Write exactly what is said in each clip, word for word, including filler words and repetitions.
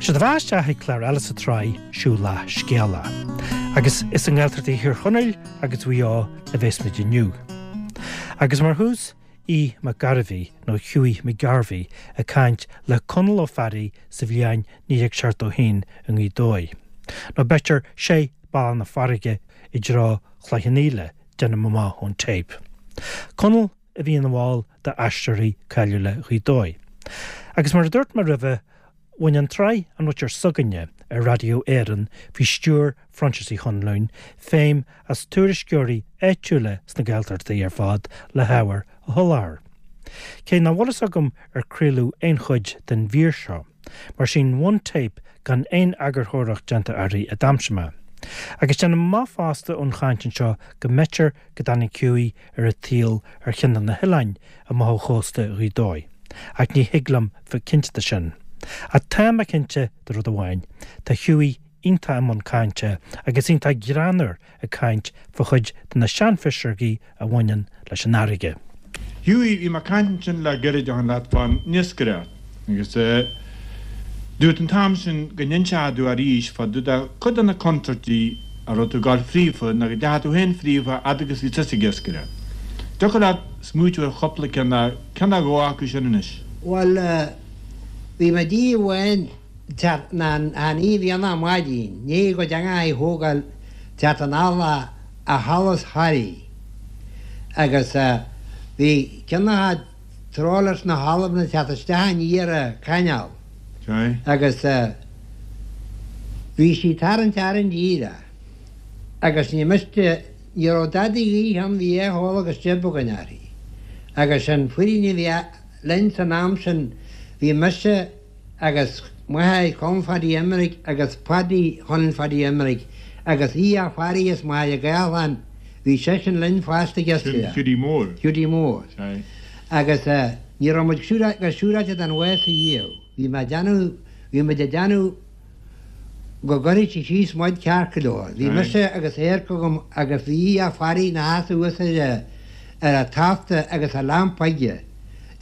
Sé do bheatha isteach ag clár eile sa tsraith Siúil Scéala. Agus is i nGaeltacht Thír Chonaill agus Mhaigh Eo a bheas muid inniu. Agus mar thús Aodh Mac Gairbhí nó Hughie McGarvey ag caint le Conall Ó Fearraigh sa bhliain naoi déag seachtó haon i nGaoth Dobhair. Nó b'fhéidir sé Bealach na Farraige i dtreo Chloich Cheann Fhaola déanaim amach ón téip. Conall a bhí ina bhall d'Aisteoirí cáiliúla Ghaoth Dobhair. Agus mar a dúirt mé roimhe, bhain an tsraith An Mhuintir S'againne ar Radio Éireann faoi stiúir Phroinsias Uí Chonluain feidhm as tuairisceoirí áitiúla sna Gaeltachtaí ar fad le hábhar a sholáthar. Cé nach bhfuil fhios agam ar craoladh aon chuid den mhír seo, mar sin one tape gan aon eagarthóireacht déanta uirthi a d'aimsigh mé. Agus déanaim amach fosta ón chaint anseo go mb'fhéidir go dtáinig Hughie ar an tsaol ar cheann de na hoileáin amach ó chósta Ghaoth Dobhair, ach ní thig liom bheith cinnte de sin. Ach tá mé cinnte de rud amháin, tá Hughie iontach i mbun cainte agus iontach greannmhar ag caint fá chuid de na seanphiseogaí a bhaineann leis an fharraige. Hughie bhí mé ag caint ansin le gairid ó shin leat fán iascaireacht agus dúirt an t-am sin go n-inseofá domh arís fá dtaobh de cuid de na contúirtí a raibh tú ag gabháil fríofa nó go ndeachaigh tú féin fríofa fhad agus bhí tusa ag iascaireacht. Thiocfadh leat smaoitiú ar chúpla ceann nó ceann nó dhó acu sin anois. Bhuel bhí mé oíche amháin ná ní bhí an maidin, ní go deanga i thógáil teacht an alla a halas Harry. Agus bhí ceann trawlers na halbna teacht isteach aniar an canal. Agus bhí sí tarraingt orainn díreach. Agus ní miste ní raibh dadaí gaoithe ann bhí é thall agus jib againn uirthi. Agus an foireann a bhí linn san am sin bhí mise agus máthair Colm Phaddy Emerick agus Paddy Chonaill Phaddy Emerick agus í a Fearraigh is máthair Gaelán bhí seisean linn fosta Sin Hughie Mór. Hughie Mór. Agus ní raibh muid go siúráilte den bhád a dhiabh. Bhí mé déanamh bhí muid ag déanamh go gcuirfidh sí síos muid ceart go leor. Bhí mise agus éarc agam agus bhí í a Fearraigh na sheasamh thuas ar ar a tafta agus a lampa aige.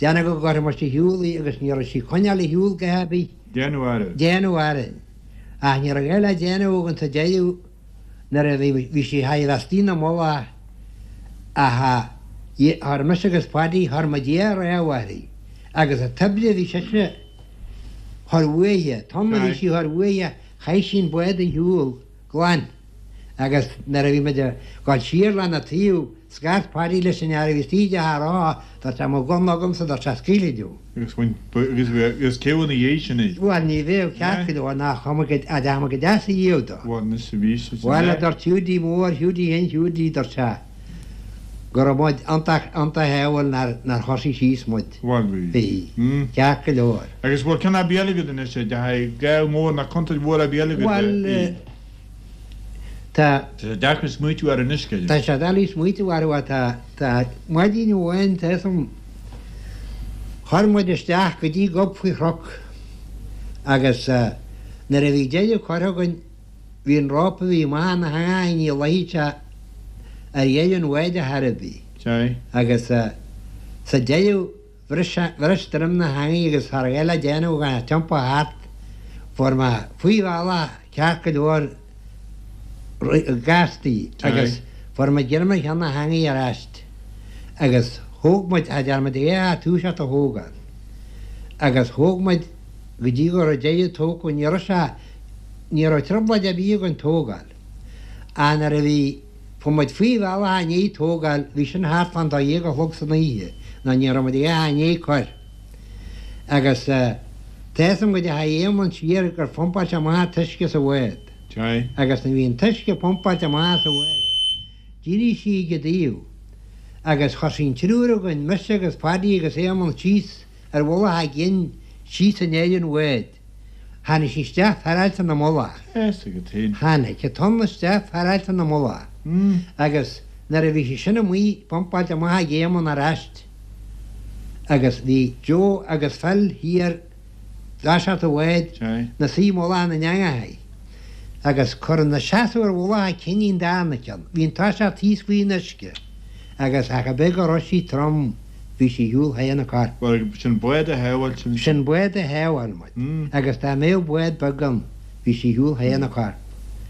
Déanamh go gcuirfidh muid ar shiúl í agus ní raibh sí coinneáil ar shiúl go hebí. Déanamh air. Déanamh orainn. Ach ní raibh eile déanamh againn sa deireadh nuair a bhí bhí sí ha bheith na mulla a chuir mise agus Paddy chuir muid é réamh uirthi. Agus a toibre bhí sise chuir uaithe, tom a bhí sí chuir uaithe chaith sí an bád ar shiúl glan. Agus nuair a bhí muid ag gabháil siar lena taobh scairt Paddy leis an fhear a bhí istigh a rá dúirt sé mo gunna agamsa dúirt sé scaoilfidh tú. Agus bhain agus agus cé bhfuil na dhiaidh sin é? Bhuel ní bheadh ceart go leor nach chuma go a deama go deas a dhiabh dó. Bhuel anois a bhí sé Bhuel a dúirt Hughie Mór Hughie Hen Hughie dúirt sé go raibh muid iontach iontach ádhúil nár nár thosaigh síos muid. Bhuel bhí. Bhí. Ceart go leor. Agus bhfuil ceann ar bith eile agat anois a deachaigh gá mór na contúirt mhór ar bith eile agat? Bhuel tá Tá sé deacair smaoitiú ar anois Tá sé doiligh smaoitiú air tá tá maidin amháin tá chuir muid isteach go dtí gob faoi chnoc agus nuair a bhí deireadh curtha againn bhí an rópa bhí amach na hangáin ní luighfidh sé ar dheireadh an bháid a chor ar bith. Agus sa deireadh bhris bhris droim na heangaí agus thar eile déanamh gan tiompar thart fuair mé faoi bhealach ceart go leor gastaí agus fuair muid greim ar cheann na heangaí ar ais agus thóg muid a dear muid é a túiseacht a thógáil. Agus thóg muid go dtí go raibh deireadh tógtha ní raibh sé ní raibh trioblóid ar bith againn tógáil. A nuair a bhí fuair muid faoi bhealach i ndiaidh tógáil bhí sin thart fán dó dhéag a chlog san oíche ná ní raibh muid é i ndiaidh cur. Agus tá fhios agam go dteachaigh Éamonn siar gur phumpáil sé amach an t-uisce sa bhád. Agus nuair bhí an t-uisce pumpáilte amach sa bhád. D'éirigh sí ag an dtaobh. Agus chuir sí an triúr againn mise agus Paddy agus Éamonn síos ar mhullach a gcinn síos in éireann bhád. Tháinig sí isteach féaráilte na mullach. Tháinig a tonn isteach féaráilte na mullach. Agus nuair a bhí sí sin amuigh pumpáilte amach ag Éamonn ar ais. Agus bhí Joe agus Phil thiar dtoiseacht an bháid na suí mullach na n-eangachaí. Agus chuir na seasamh ar mhullach a cinn an darna ceann. Bhí an toiseacht thíos faoin uisce. Agus ach a bheith go raibh sí trom, bhí bhí sí ar shiúl thar na coirp. Bhuel, sin bád a shábháil sin. Sin bád a shábháil muid. Agus dá mbeadh bád beag ann, bhí sí ar shiúl thar na coirp.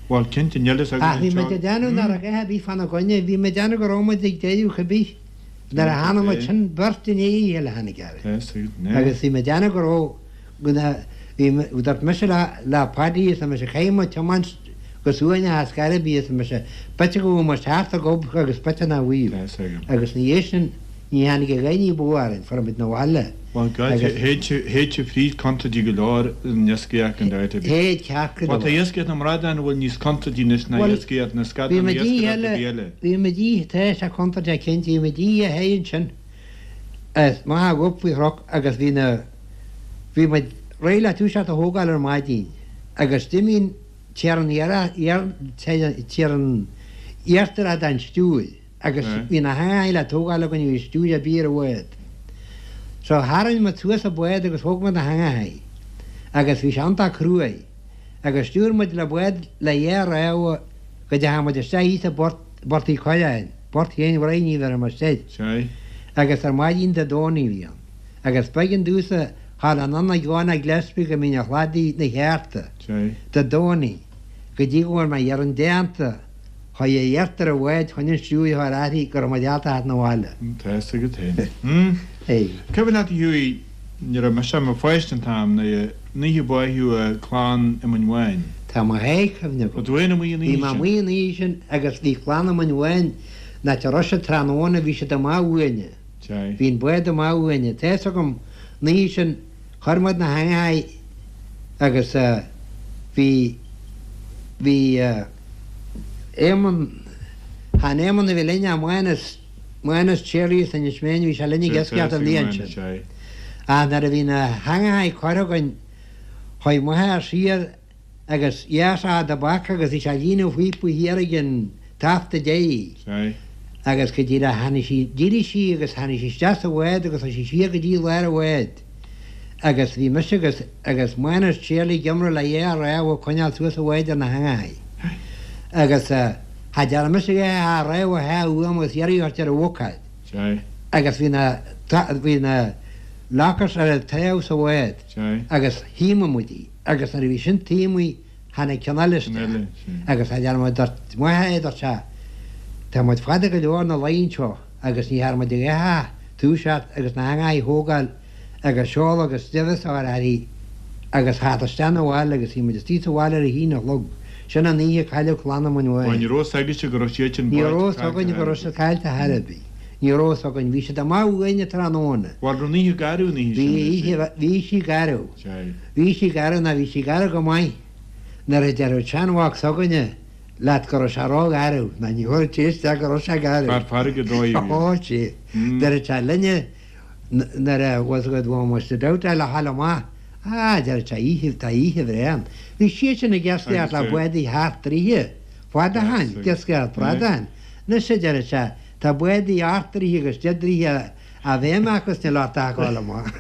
Bhuel, cinnte, níl fhios againn Ach bhí muid anseo. ag déanamh nach raibh a dhath ar bith fána gcoinne, bhí muid ag déanamh go raibh muid ag deireadh cibé. Nuair a tháinig muid, sin beirt i ndiaidh a chéile a tháinig orainn. Tá fhios agat, Agus bhí muid ag déanamh go raibh, go na, bhí, dúirt mise le, le Paddy, arsa mise, caithfidh muid tiomáint go suaimhneach ar scor ar bith, arsa mise, b'fhéidir go bhfuil muid thart ag gob agus b'fhéidir nach bhfuil. Tá fhios agam. Agus ina dhiaidh sin, ní tháinig a dhath ní ba mhó orainn, fuair muid 'na bhaile. Bhuel, God, Agus. théid sibh fríd contúirtí go leor in iascaireacht an áit ar bith. Théid ceart go Bhuel, tá leor. iascaireacht na mbradán a bhfuil níos contúirtí anois ná Bhuel, iascaireacht na bhí scadán muid oíche iascaireacht eile, a bhí eile. bhí muid oíche, tá sé contúirteach cinnte, bhí muid oíche théid ansin, as maith a ghob faoi chnoc agus bhí na, bhí muid réidh le toiseacht a thógáil ar maidin agus d'imigh tír an iar, iar, tír an iarthar den stiúir agus Right. bhí na heangacha le tógáil againn bhí stiúir ar bith ar an bhád. So tharraing muid suas an bád agus thóg muid na heangacha agus bhí sé iontach cruaidh agus stiúir muid le bád le dhá rámha go dteachaigh muid isteach thíos i bPort Port Uí Choileáin, Port Chéin Bhraith ní bheir muid isteach. Sé. Agus ar maidin Dé Domhnaigh a bhí ann. Agus b'éigean domhsa thall anonn ag Joanna Gillespie go mbínn a shladaí na chearta. Sé. Dé Domhnaigh go dtí go bhfuair mé ar an déanta chuir a iartar a bhád chun an stiúir a athraí go raibh muid ábalta theacht 'na bhaile. Tá fhios agat féin. Hmm. Hey. Cuimhin leat a Hughie, ní raibh mise i mo pháiste an t-am na oíche báitheadh clann Éamoinn Bháin. Tá mo théigh cuimhne agam. Ba tú féin amuigh an Bhí oíche mé sin? amuigh an oíche sin agus bhí clann Éamoinn Bháin na te raibh siad tráthnóna bhí siad amach uainne. Sé. Bhí an bád amach uainne. Tá fhios agam an oíche sin chuir muid na heangacha agus uh, bhí bhí uh, Éamonn Han Éamonn a bhí linn Mánas Mánas Charlie san is mé bhí sé linn ag iascaireacht an bhliain sin. Sé. A nuair a bhí na heangacha curtha againn chuaigh m'athair siar agus dheas a bac agus bhí sé líonadh phíopa thiar ag an tafta dé. Sé. Agus go dtí le tháinig sí d'éirigh sí agus tháinig sí isteach sa bhád agus tá sí siar go dtí lár an bháid. Agus bhí mise agus agus Mánas Charlie ag iomramh le dhá rámha coinneáil suas an bhád ar na heangacha. Agus uh, cha dearna mise a rámha thá uaim agus iarraidh ar a bhocáid. Sé. Agus bhí na bhí na lockers ar an taobh sa bhád. Sé. Agus thíomaigh muid í. Agus nuair a bhí sin tíomaí tháinig ceann eile Ceann eile, isteach. sé. Agus a dear muid dúirt m'athair dúirt sé Tá muid fada go leor na lainn seo agus ní thar muid a túiseacht agus na heangacha a thógáil agus seol agus deimheas ar airí agus theacht isteach 'na bhaile agus bhí muid istigh sa bhaile ar a haon a chlog. Sin an oíche cailleadh clann Éamoinn Bhuel, Bháin. ní raibh fhios agaibhse go raibh siad sin Ní báite raibh caillte againn go thar raibh siad caillte thar ar bith. Ní raibh againn, bhí siad amach uainne tráthnóna. Bhuel, raibh an oíche garbh an oíche Bhí sin, oíche bhí sí garbh. Sé. Bhí sí garbh ná bhí sí garbh go maith. Nuair a deir seanmhac s'againne leat go raibh sé ró-gharbh, ná ní thabharfadh sé isteach go raibh sé garbh. Fear farraige dóigh a bhí. Ó, sé. Mm. Deir sé linne nuair a was go bhfuil muid dabht le halla amach. Ah, deir sé oíche tá oíche bhreá. Bhí siad sin ag iascaireacht le Agus, eh, bádaí thart troighe. Fada Yes, iascaireacht bradán. Anois deir sé tá bádaí ocht dtroighe agus deich dtroighe a bheith acu sna lá tágáil amach.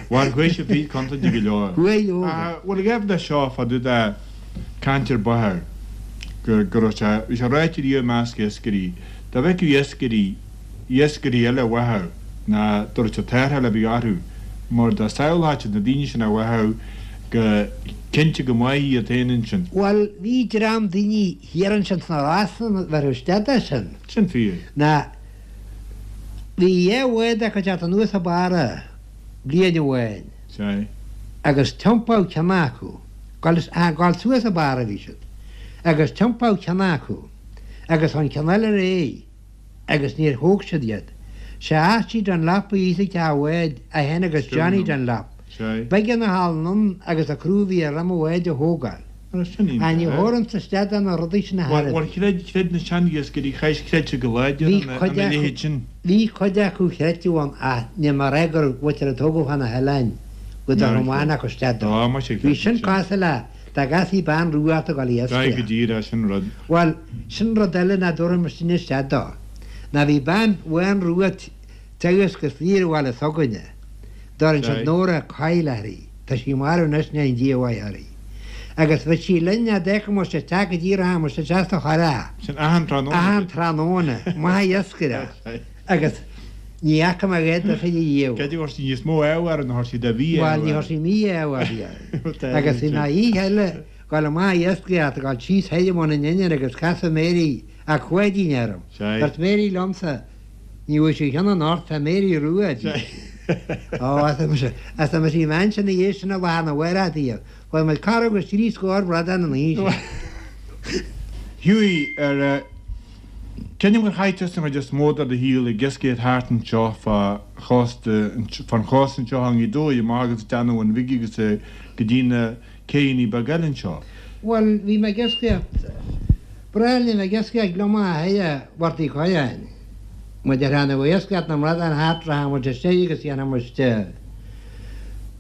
Bhuel, chuaigh sibh fríd contúirtí go leor. Chuaigh leor. Ah, Bhuel, ag le seo fá dtaobh de caint ar báthadh go go raibh sé bhí sé ráite riamh i measc iascairí. Dá bhfeicfeadh iascairí iascairí eile a bháthadh ná dúirt sé tarrtháil a bhí orthu mar dá samhlódh na daoine sin a bháthadh go cinnte go maith iad féin ansin. Bhuel, bhí dream daoine thiar ansin sna Rosann bheith isteach sin. Sin fíor. Na bhí dhá bhád acu teacht anuas a barra bliain amháin Sé. agus tiompáil ceann acu gáil suas a barra bhí siad agus tiompáil ceann acu agus an ceann eile réidh agus níor thóg siad iad. Sé Archie Dunlop a íosfaidh a bhád a hen agus Johnny Dunlop. Sé. B'éigean a hal agus a crúbhí ar ram bháid a thógáil. Sin A ní thurann sa stead an rudaí sin na Bhuel, hair. chreid chreid na seaniascairí chaithfidh creidte go láidir Bhí an cuid an acu- leithéid sin. Bhí cuid acu chreidte ann a ní mar gur bhfuil a tógadh fan na heáin go Ná, román acu stead. Á, má sé Bhí sin cás le tá gasí ban ruata go Ga go iascaireacht. díreach sin rud. Bhuel sin rud eile na dúram sin isteach dó. Na bhí bean bhain ruat tegus go fíor bhile s'againne. Dar Sé. an Nóra caiilairí, Tá sí mar anois na an díomhaí. Agus bhí sí linne decha se te go díortha se teasta chorá. Sin achan tráthnóna. Achan tráthnóna, maith iascaire. Sé. Agus Ní fhaca mé a dhath de chuid a Cad é bhfuair sí níos mó ábhair ná thar sí de bhí Bhuel, ní thar sí mí-ádh air. Agus bhí mé oíche eile ag dul amach ag iascaireacht, ag dul síos thoir i mBun an Inir agus casadh Mary a' Pháidín orm. Dúirt Mary liomsa, Ní bhfuair sí cheana anocht, tá Mary rua di. Ó, arsa mise, arsa mise, bhí mé ansin ina dhiaidh sin lá arna mhárach daoibh. Fuair muid corradh agus trí scór bradán an oíche sin. Hughie, ar Creidim gur chaith tusa an chuid is mó de do shaol ag iascaireacht thart anseo fá chósta, fán chósta anseo i nGaoth Dobhair amach agus ag déanamh an Bhig agus go dtí na céidheanna beaga eile anseo. Bhuel, bhí mé ag iascaireacht, breá linn ag iascaireacht gliomach thoir i bPort Uí Choileáin. Muid ar tháinig ó iascaireacht na mbradán thart, rachadh muid istigh agus dhéanfadh muid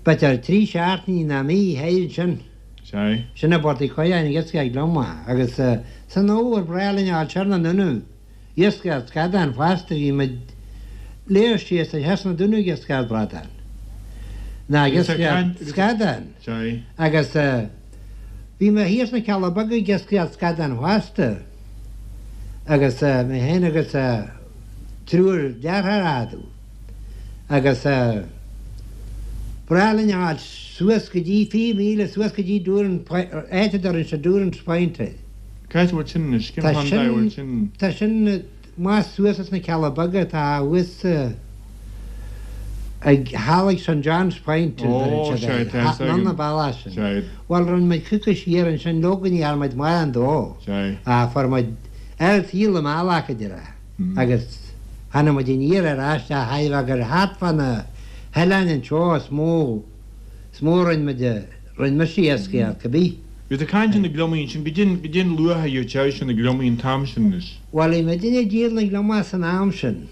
b'fhéidir trí seachtainí nó mí thoir ansin. Sea. Sin i bPort Uí Choileáin ag iascaireacht gliomach agus san fhómhar breá linn a fháil siar na nDúnaibh iascaireacht scadán fosta bhí muid léir síos ar theas na Dúnaibh ag iascaireacht bradán ná ag iascaireacht scadán Sea. agus bhí mé thíos sna Cealla Beaga ag iascaireacht scadán fosta agus mé féin agus triúr deartháir a'dom agus breá linn a fháil suas go dtí fiche míle suas go dtí Doorn áit a dtabharann siad Doorn's Point air. Cá háit a bhfuil sin anois? Cén Tá chontae a bhfuil sin sin? tá sin más suas as na Cealla Beaga atá thuas ag thall ag Saint John's Point a Ó, dtabharann siad sea, air, tá fhios anonn agam. an bealach sin. Sea. Bhuel, rinne muid cúpla siar ansin, leoga ní dhearna muid mórán dó. Sea. Ach fuair muid ar shaol i mbealach, a déarfá. Agus tháinig muid aniar ar ais a thaobh gur thart fá na hoileáin anseo is mó, is mó a rinne muid, rinne mise iascaireacht, cibé. Bhí tú ag caint ar na gliomaigh ansin, goidé, goidé an luach a gheobhadh na gliomaigh an t-am sin anois. Bhuel, bhí muidinne ag díol na gliomach san am sin.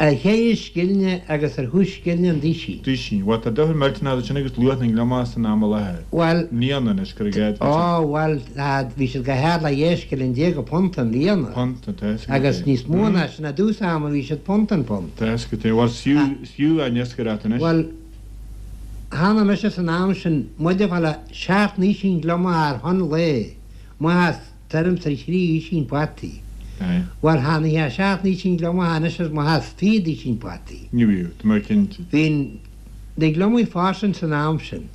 Ar cheithre scillinge agus ar chúig scillinge an duisín. Duisín. Bhuel, tá difear millteanach idir sin agus luach na ngliomach san am i láthair. Bhuel. I mbliana anois, cuir i gcás. Ó, bhuel, tá, bhí siad go hard le dhá scilling déag an punt i mbliana. Punt, tá fhios agat Agus é. níos mó ná sin, i dtús ama bhí siad punt an punt. Tá fhios agat é. Bhuel, is fiú, is fiú á n-iascaireacht anois. Bhuel, tháinig mise san am sin, muid ag fáil seacht nduisín gliomach ar thon lae, amach as tuairim is ar thrí dhuisín fataí. Bhuel, tháinig sé seacht nduisín gliomach anois is amach as fiche duisín fataí. Ní bhíodh, tá mé cinnte. Bhí na gliomaigh fairsing san am sin.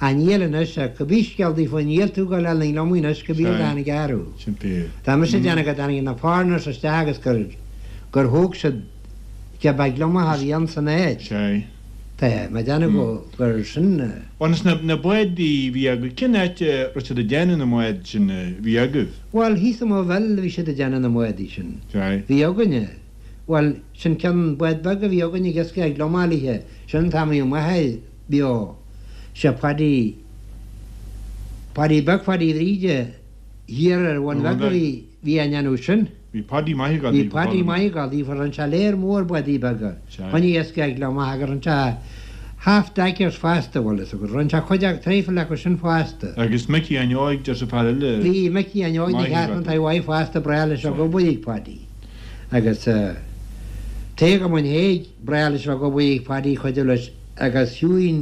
Ach níl anois, ach cibé scéal daofa, níl tú ag dul na gliomaigh anois cibé rud a tháinig athrú. Sin fíor. Tá mise ag déanamh go dtáinig na foreigners isteach agus gur, gur thóg siad cibé gliomach a bhí ann san áit. Sea. Tá mé ag déanamh go, gur sin. Agus na, na bádaí a bhí agaibh, cén áit a raibh siad ag déanamh na mbád sin a bhí agaibh? Bhuel, thíos i Maigh Bhil a bhí siad ag déanamh na mbádaí sin. Sea. Bhí againne, bhuel, sin ceann bád beag a bhí againne ag iascaireacht gliomach léithe, sin an t-am a bhí mo mháthair beo, sé Paddy, Paddy beag Phaddy Bhríde thiar ar Bhun Bheag a bhí, bhí á ndéanamh sin. Bhí Paddy maith ag Bhí Paddy maith ag dul daofa, rinne sé léar mór bádaí beaga. Choinnigh iascaireacht gliomach agus rinne sé half deckers fosta, bhfuil fhios agat. Rinne sé cuid acu, traidhfil acu sin fosta. Agus Micí an Óig, deir sé fear eile. Bhí Micí an Óig na cheart an taobh uaidh fosta, breá leis ag obair ag Paddy. Agus Tadhg Ó Muinhéig, breá leis ag obair ag Paddy, cuidiú leis agus Hughie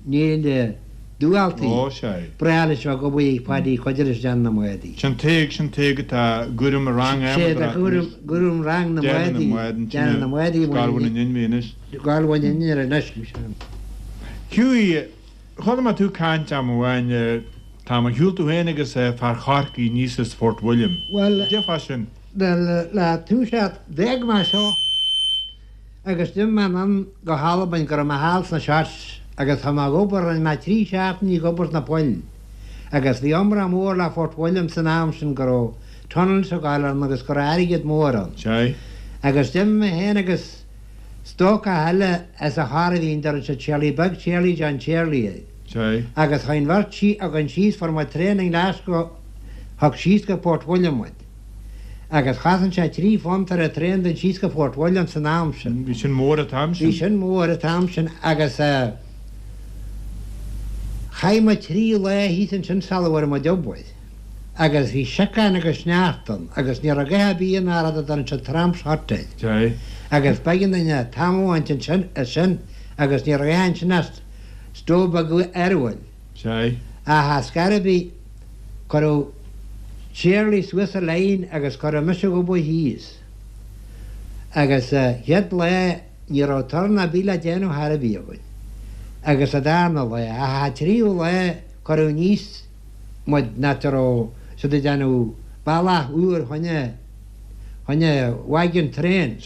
Néill Dubhaltaigh. Ó, sea. Breá leis ag obair ag Paddy, cuidiú leis déanamh na mbádaí. Sin Tadhg, sin Tadhg atá ag cúram an rang Sé atá ag cúram, cúram rang na Déanamh mbádaí. na mbád ansin Déanamh na mbádaí. Scoil Bhun an Inbhir anois. Scoil Bhun an Inbhir anois. Hughie, chuala mé tú ag caint am amháin an t-am a shiúil tú féin agus fear Chorcaí aníos as Fort William. Bhuel, Cad é fá sin? le, le toiseacht d'fhág mé seo. Agus d'imigh mé anonn go hAlbain go raibh mé thall sna Shotts agus tá mé ag obair, rinne mé trí seachtainí ag obair sna poill. Agus bhí iomrá mór le Fort William san am sin go raibh tunnels ag gabháil ann agus go raibh airgead mór ann. Sea. Agus d'imigh mé féin agus stócach eile as an Chorrabhín, deireann siad Charlie Beag Charlie John Charlie air. Sea. Agus chuaigh an bheirt againn síos, fuair muid traein i nGlasgow, thug síos go Port William muid. Agus chosain sé trí phunt ar an traein dul síos go Fort William san am sin. Bhí sin mór an t-am sin. Bhí sin mór an t-am sin agus chaith muid trí lá thíos ansin sula bhfuair muid obair. Agus bhí siocán agus sneachta ann agus ní raibh a dhath ar bith ann ach rud a deireann siad Tramps Hut air. Sea. Agus b'éigean dúinn tamall a bhaint ansin as sin agus ní raibh a dhath ansin ach stove beag arbhair. Sea. Ach ar scor ar bith cuireadh Charlie suas sa line agus cuireadh mise ag obair thíos. Agus sa chéad lá ní raibh torann ar bith le déanamh chor ar bith againn. Agus sa darna lá, ach an tríú lá cuireadh aníos muid in áit a raibh siad ag déanamh bealach úr choinne choinne wagon train.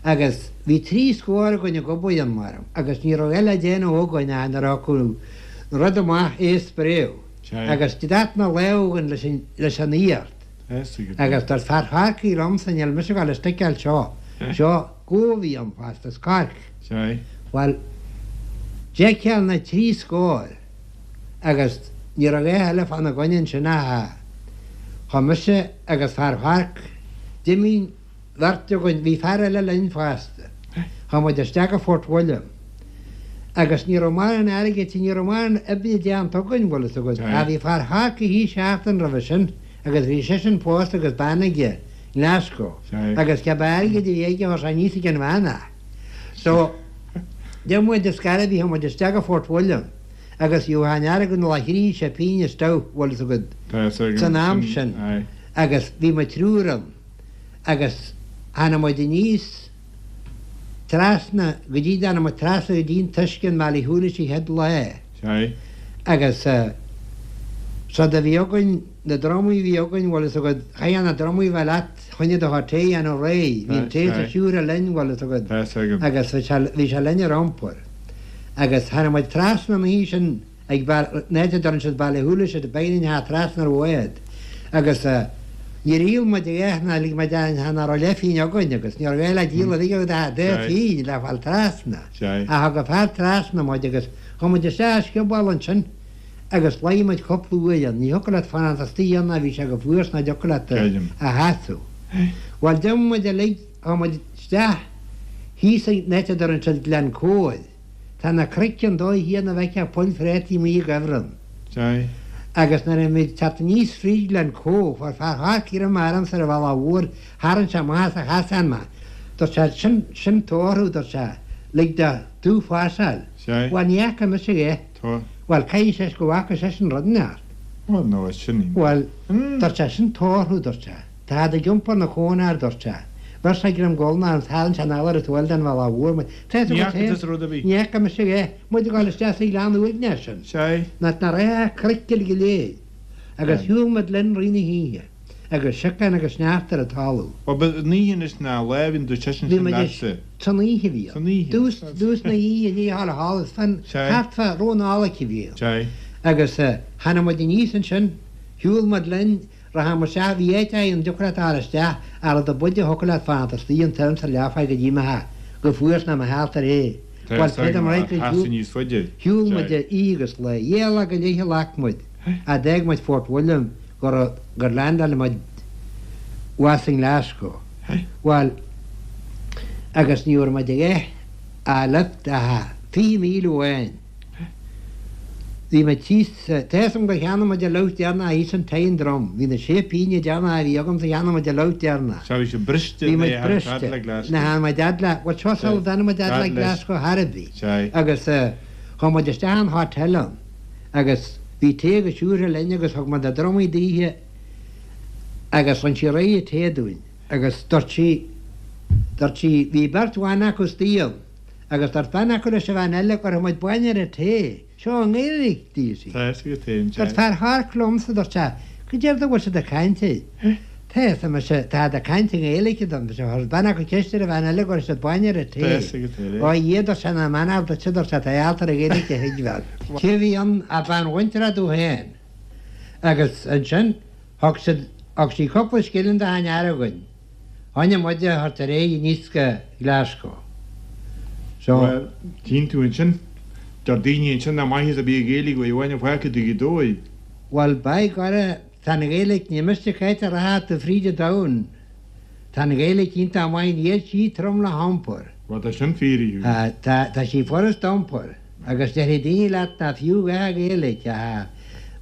Agus bhí trí scór againn ag obair ann mar agus ní raibh eile le déanamh againn ach nuair a thiocfadh an rud amach é a spréadh. Agus dath na lámh againn leis an leis an iart. Agus dúirt fear Chorcaí liomsa níl mise ag dul istigh anseo. Seo gó a bhí ann fosta, is corc. Bhuel, d'fheiceáil na trí scór agus ní raibh a dhath eile fána gcoinne ansin ach chuaigh mise agus fear Chorc, d'imigh beirt againn, bhí fear eile linn fosta. Chuaigh muid isteach go Fort William agus ní raibh mórán airgid, ní raibh mórán oibre déanta againn, bhfuil fhios agat. Ach bhí fear Chorcaí thíos seachtain roimhe sin agus bhí seisean pósta agus bean aige i nGlasgow agus cibé airgead a bhí aige chuir sé aníos ag an bhean é. So, d'imigh muid ar scor ar bith, chuaigh muid isteach go Fort William agus bhí an airgead le thrí sé pingin isteach, bhfuil fhios agat, san am sin agus bhí muid triúr ann agus tháinig muid aníos trasna go dtí, tháinig muid trasna go dtí an t-uisce in Baile Shúilis an chéad lá agus seod a bhí againn, na drumaí a bhí againn, bhfuil fhios agat, chaithfeá na drumaí a bheith leat choinne do chuid tae a dhéanamh réidh, bhí an tae sa siúcra linn, bhfuil fhios agat, agus bhí sé linn ar iompar. Agus tháinig muid trasna an oíche sin ag an áit a deireann siad Baile Shúilis, ar beagáinín thar trasna ar bhád agus níor dhíol muid a dhath ná lig muid aon nach raibh leathphingin againn agus ní raibh a dhath le díol a bhí agat ach dhá phingin le fáil trasna. Ach thug an fear trasna muid agus chuaigh muid isteach i scioból ansin agus luigh muid cúpla uair ann. Ní thiocfadh leat fanacht istigh ann ná bhí sé go fuar 's ná dtiocfadh leat a sheasamh. Bhuel d'imigh muid uilig, chuaigh muid isteach thíos ag an áit a deireann siad Glen Coe. Tá na cnoic an dóigh chéanna a bhfeicfeá poill phréataí amuigh i gcuibhreann. Agus nuair a bhí muid ag teacht aníos fríd Glen Coe, fuair fear Chorcaí roimh m'armsa ar an bhealach mhór, tharraing sé amach as a chasán mé. Dúirt sé, Sin, sin tórramh, dúirt sé, lig do tú phásáil. Bhuel, ní fhaca mise é. Bhuel, caithfidh sé go bhfaca seisean rud inteacht. Bhuel, dúirt sé, sin tórramh, dúirt sé. Táid ag iompar na cónair, dúirt sé. Bheir sé greim guailne orm, tharraing sé anall ar an taobh eile den bhealach mhór muid. Tá fhios Ní agat fhaca féin, tusa rud ar bith. ní fhaca mise é. Muid ag dul isteach sa ghleann uaigneach sin. Sea. Nach nach raibh ach cnoic uilig go léir. Agus shiúil muid linn rith na hoíche, agus siocán agus sneachta ar an talamh. Bhuel, ba an oíche anois ná lá a bhíonn tú seisean Bhí sin muid leatsa. San oíche a bhí ann. San oíche. Dtús, dtús na hoíche, ní halla thall, is fan, Sea. thart fá ró na Nollag a bhí ann. Sea. Agus eh, tháinig muid aníos ansin, shiúil muid linn, Rachadh muid isteach, bhí áit ann, dtiocfadh leat a ghabháil isteach, ach rud ab fhaide a thiocfadh leat fanacht istigh an t-am sa leathfá go dtí mbeifeá go fuar 's nach mbeadh thart ar é. Bhuel, creidim right gur shiúil, shiúil muid oíche agus lá. Dhá lá go leith a ghlac muid, ach d'fhág muid Fort William gur, gur leaindeáil muid abhus i nGlasgow. Bhuel, agus ní raibh muid a dhath a lift ach fiche míle amháin. Bhí muid thíos, tá fhios agam gur cheannaigh muid an lucht deireanach thíos in Tyndrum. Bhí na sé pingine deireanacha a bhí agamsa cheannaigh muid an lucht deireanach. Sea, bhí sibh briste Bhí muid nuair a tháinig briste. fad le Glasgow. Nuair a tháinig muid fhad le, bhuel seo sula dtáinig muid fhad le Fad leis. Glasgow chor ar bith. Sea. Agus chuaigh muid isteach in hotel ann agus bhí tae agus siúcra linn agus thug muid na drumaí daoithe agus rinne sí réidh an tae dúinn agus dúirt sí, dúirt sí, bhí beirt bhan acu istigh ann Agus dúirt bean acu leis an bhean eile, Cuirfidh muid bainne ar an tae. Seo i nGaeilge, dúirt sí. Tá fhios agat féin, Dúirt fear Chorc liomsa, dúirt sé, Cad é a bhfuil siad ag caint air? Tá fhios a'm, mise, táid ag caint i nGaeilge dom, mise. Chuir bean acu ceist ar an bhean eile, go raibh siad bainne ar an Tá tae. fhios agat féin, Ó a Dhia, dúirt sé, nach mbeannódh duitse, dúirt sé, tá ealta ar an Ghaeilge a thuigbheáil. Cé a bhí ann ach bean mhuinteartha domh féin. Agus ansin, thug siad, thug sí cúpla scilling do achan fhear againn. Choinnigh muid a thabhairt ar aghaidh aníos go Glasgow. So. Bhuel, tchíonn tú ansin, deir daoine ansin nach maitheas a bhí ag Gaeilge uaidh amháin a fágtha do Ghaoth Dobhair. Bhuel, by gora, tá an Ghaeilge, ní miste cá háit a rachfá tú fríd an domhan, tá an Ghaeilge iontach maith, níl sí trom le hiompar. Bhuel, tá sin fíor, a Hughie. Tá, tá sí furast d'iompar. Agus déarfaidh daoine leat nach fiú a dhath an Ghaeilge, ach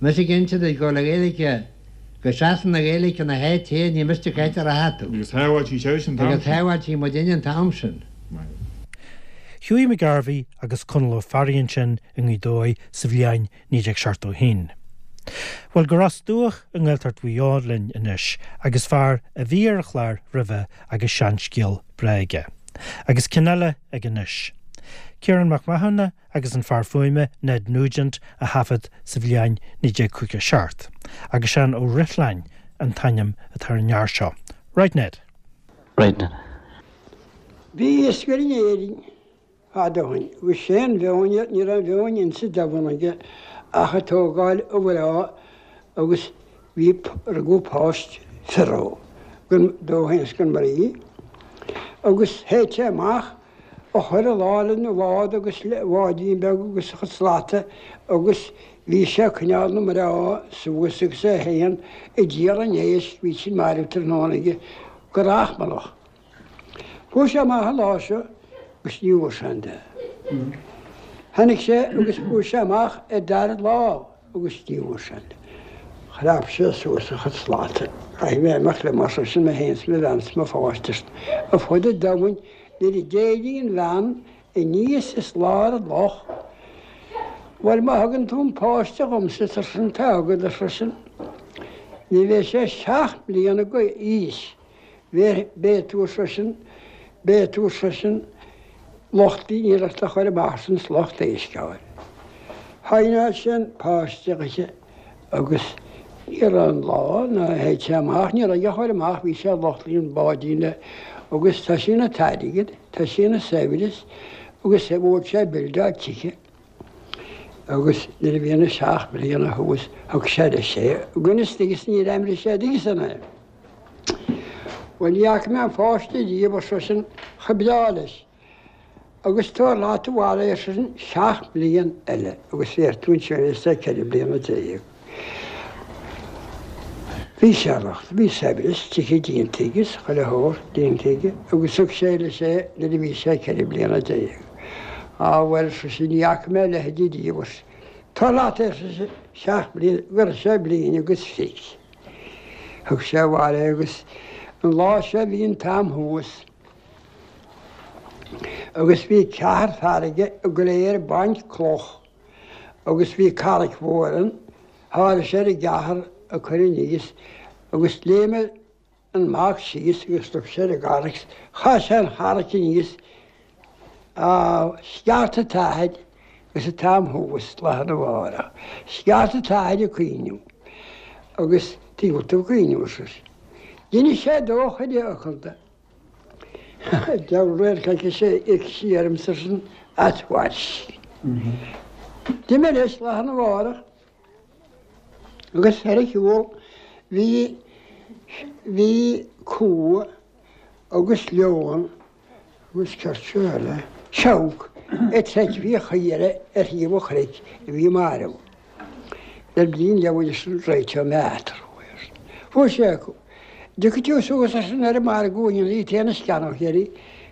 mise ag inse duit go bhfuil an Ghaeilge, Go seasann an Ghaeilge ina háit féin, ní miste cá háit a rachfá tú. Agus shábháil sí seisean an t-am Agus sin. shábháil sí muidinne an t-am sin. Hughie McGarvey agus Conall Ó Fearraigh ansin i nGaoth Dobhair sa bhliain naoi déag seachtó a haon. Bhuel go Ros Dumhach i nGaeltacht Mhaigh Eo linn anois agus fear a bhí ar an chlár roimhe agus seanscéal breá aige. Agus ceann eile aige anois. Ciarán Mac Mathúna agus an fear fuaime Ned Nugent a thaifead sa bhliain naoi déag caoga seacht, agus Seán Ó Rithlán an t-ainm atá ar an fhear seo. Right Ned. Right Ned. Bhí iascaire in Éirinn fadó ó shin, agus sé an mheon ní raibh aon mheon insa domhan aige ach ag tógáil a mhná agus bhí rugadh páiste fir dó féin is don mhnaoi agus théadh sé amach a chuir a lá lena bhád agus le bháidín beag agus a chuid slata agus bhí sé ag coinneáil na mná suas agus é féin ag díol an éisc bhí sin marbh tráthnóna aige go rachmallach. Chuaigh sé amach an lá seo agus ní bhfuair sé aon duine. Tháinig sé agus chuaigh sé amach ar dara lá agus ní bhfuair sé aon duine. Chrap sé suas a chuid slata. Caithfidh mé imeacht liom ar seisean mé féin 's mo bhean 's mo pháiste ar fud an domhain nuair a d'éirigh an bhean aníos as lár an loch. Bhuel má thugann tú an páiste dhomsa ar seisean tá agat ar seisean. Ní bheidh sé seacht mbliana d'aois. Beidh tú ar seisean, beidh tú ar seisean lucht iarracht a chur amach san lucht éisc a fháil. Shaighneáil sé an páiste chuici agus ní raibh an lá ná théid sé amach, ní raibh a chur amach, bhí sé lucht an báidín le agus tá sé ina t-airgead, tá sé ina saibhreas agus bhuail sé buildeáil tithe. Agus nuair a bhí na seacht mbliana thuas thug sé leis é, agus agus níor aimrigh sé díosan é. Bhuel ní fhaca mé an pháiste riamh ar seisean chomh breá leis. Agus tabhair leat abhaile é ar seisean seacht mblian eile agus bhéarfaidh tú ansin é is é ceithre bliana déag. Bhí sé locht, bhí saibhreas tithe déanta aige is chuile shórt déanta aige agus thug sé leis é nuair a bhí sé ceithre bliana déag. Á bhuel ar seisean ní fhaca mé a leithéidí riamh ar tabhair leat é ar seisean seacht mbliana go raibh sé bliain agus fiche. Thug sé abhaile é agus an lá seo bhí an t-am thuas agus bhí ceathrar fear aige go léir ag baint cloch agus bhí carraic mhór ann, tháinig sé ar an gceathrar ag cur aníos agus léim an mac síos agus rug sé ar an gcarraic, chaith sé an charraic aníos á sceart an t-athair agus an t-am thuas lá arna mhárach. Sceart an t-athair ag caoineadh agus tuige tú ag caoineadh ar seisean. D'inis sé dó chuile fhocal de. Deabhal radharc aici sé íocfaidh sí orm ar seisean at once. D'imigh leis lá arna mhárach agus ar a shiúl bhí bhí cú agus leon agus céard seo eile, seabhac ag troid faoi chaora ar thaobh an chnoic a bhí marbh. Le bliain leabhair sin réiteodh mé eatarthu. Fuair sé acu. Dtiocfaidh tú suas ar sin ar an margadh inniu í téann is ceannach uirthi.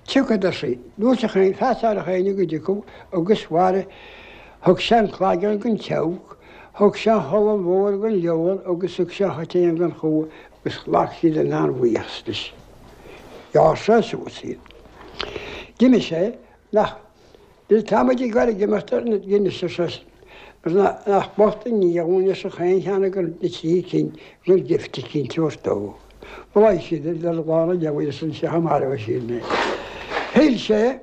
Tiocfad ar sí. Dúirt a chaon feasach a chaon go dtiocfadh agus mharaigh. Thug sé an claigeann don tseabhac, thug sé an cholainn mhór don leon agus thug sé an choitéan don chú agus ghlac siad an an-bhuíochas leis. Ghearr sé suas iad. D'imigh sé nach Tá muid ag goil ag imeacht ar na d'inis ar seisean. Nach bocht an ní dhúinn leis an chaon cheann de na trí cinn go bhfuil gift eicínt a thabhairt dó. Bholaigh siad ar le lán an leabhair is an seach marbh siad mé. Shíl sé,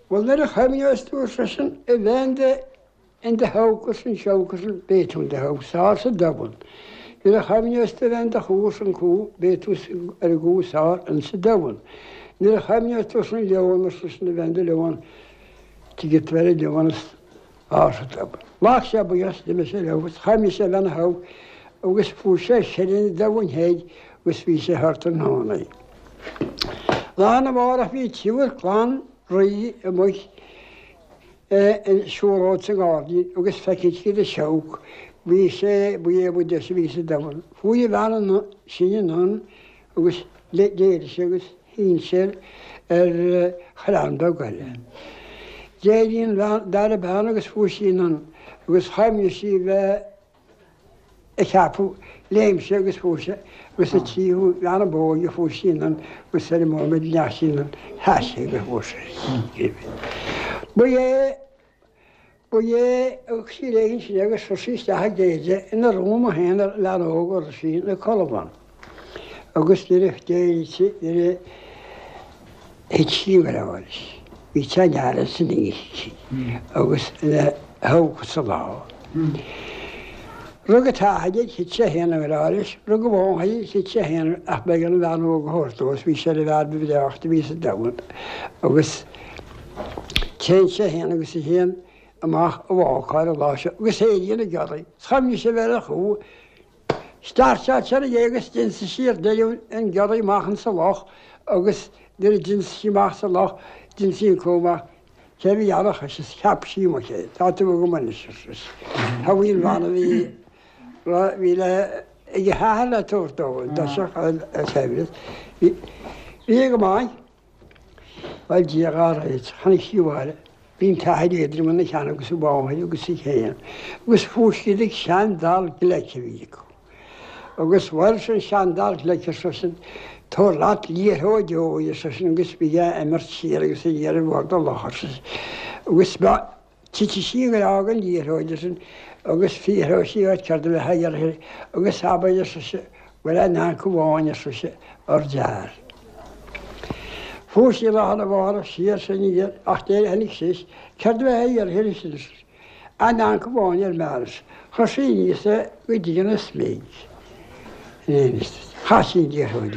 bhuel nuair a chuimhneos tú ar seisean a bheith in do in do shabhac arsa an seabhac arsa an beidh tú in do shabhac is fearr sa domhan. Nuair a chuimhneos tú a bheith in do chú arsa an cú beidh tú ar an gcú is fearr insa domhan. Nuair a chuimhneos tú arsa an leon ar seisean a bheith in do leon tiocfaidh tú ar an leon is fearr sa domhan. Ghlac sé buíochas d'imigh sé leo agus chuimhnigh sé a bheith ina shabhac agus fuair sé seile an domhain thoir agus bhí sé thar tráthnóna. Lá arna mhárach bhí triúr clann rí amuigh ag siúlóid sa ngairdín agus feiceann siad an seabhac. Bhí sé, ba é ba deise a bhí sa domhan. Chuaigh an bhean sin anonn agus d'éirigh sé agus shín sé ar chrann beag eile. D'éirigh an bhean, dara bean agus fuair sí anonn agus chuimhnigh sí bheith a cheapadh, léim sé agus fuair sé agus an tríú bean ab óige fuair sí anonn agus ar an móiméad a ndeachaigh sí anonn sheas sé agus fuair sé. Ba é Ba é sí léigin sin agus chuir sí isteach ag Deirdre ina rúm féin ar lean óg ar sí na colmán. Agus nuair a d'éirigh sí nuair a thit sí i ngrá leis. Bhí teann san oíche agus ina thóg sa lá. Rug an t-athair é, thit sé féin i ngrá leis, rug a mháthair é, thit sé féin ach b'éigean an bhean óg a thabhairt dó is bhí sé ina bhfear ba bhreáichte a bhí sa domhan. Agus téann sé féin agus í féin amach a bhácáil an lá seo agus éiríonn an giorraí. Is chuimhnigh sé bheith ar a chú. Startáil sé ar a agus d'ionsaigh sí ar deireadh an giorraí amach insa loch agus nuair a d'ionsaigh sí amach sa loch d'ionsaigh an cú amach. Cé bhí ann ach is cheap sí amach é. Tá tú agam anois ar sise. Tá bhí an bhean a bhí bhí le ag a hathair le tabhairt dó an dtoiseach an saibhreas. Bhí go maith. Bhuel Dia dhá réiteach. Tháinig sí abhaile. Bhí an t-athair éadrom ina cheann agus a mháthair agus í féin. Agus phós siad ag seandall gleic a bhí acu. Agus bhuel sin seandall gleic ar seisean, tabhair leat liathróid óir ar seisean agus bí á imirt siar agus aniar ar bhord an locha ar seisean. Agus titfidh sí i ngrá don liathróid ar seisean agus fiafróidh sí díot céard a bheifeá a iarraidh agus abair ar sise bhfuil aon anc amháin ar sise ar d'fhear. Fuair sí lá arna mhárach siar is aniar ach d'éirigh tháinig sí céard a bheifeá a iarraidh ar sise aon anc amháin ar m'fhear. Chuir sí aníos é go dtí an smig. Chaith sí an liathróid.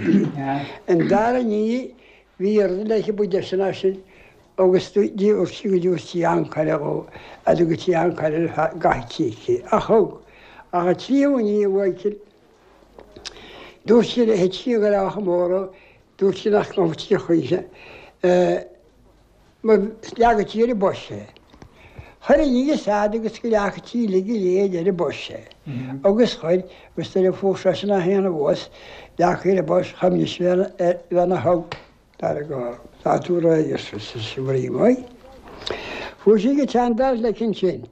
An dara ní bhí rud léi ba deise ná sin agus dúirt sí go dtabharfaí sí ancaire dhó a go dtí ancaire gach cíche ach thug ach an tríú ní a bhuaicil dúirt sí le thit sí i ngrá chomh mór dúirt sí nach ngabhfadh sí choíche ma leagfadh sí ar an bpost é. Chuir aníos fhad agus go leagfadh sí uilig go léir ar an bpost é. Agus chuir agus nuair a fuair seisean é féin abhus leagtha ar an bpost chuimhnigh sé ar bhean a thug dar go tá tú réidh ar sise bhrí maith. Fuair sí go seandall leic ansin.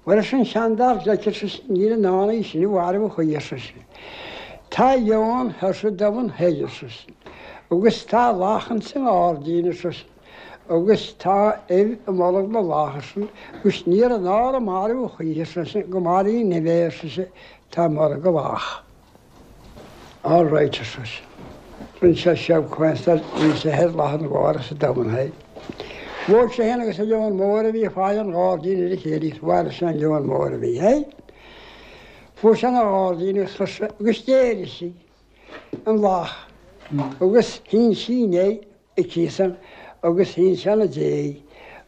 Bhuel ar an seandall leic ar sise níl in ann í sin a mharbhú choíche ar sise. Tá leon thoir sa domhan thoir ar sise. Agus tá lachan sa ngairdín ar sise. Agus tá ubh i mbolg na lach ar sise. Agus níor in ann a marbhú choíche ar sise go maraí an ubh é ar sise tá i mbolg a lach. All right ar sise. Rinne sé seab cuanstar bhí sé thoir lá arna mhárach sa domhan thoir. Bhuail sé féin agus an leon mór a bhí ag faire an ghairdín ar a chéile is mharaigh sé an leon mór a bhí air. Fuair sé ina ghairdín agus chuir sé agus d'éirigh sí an lach agus shín sí inné aici san agus shín sé ina déidh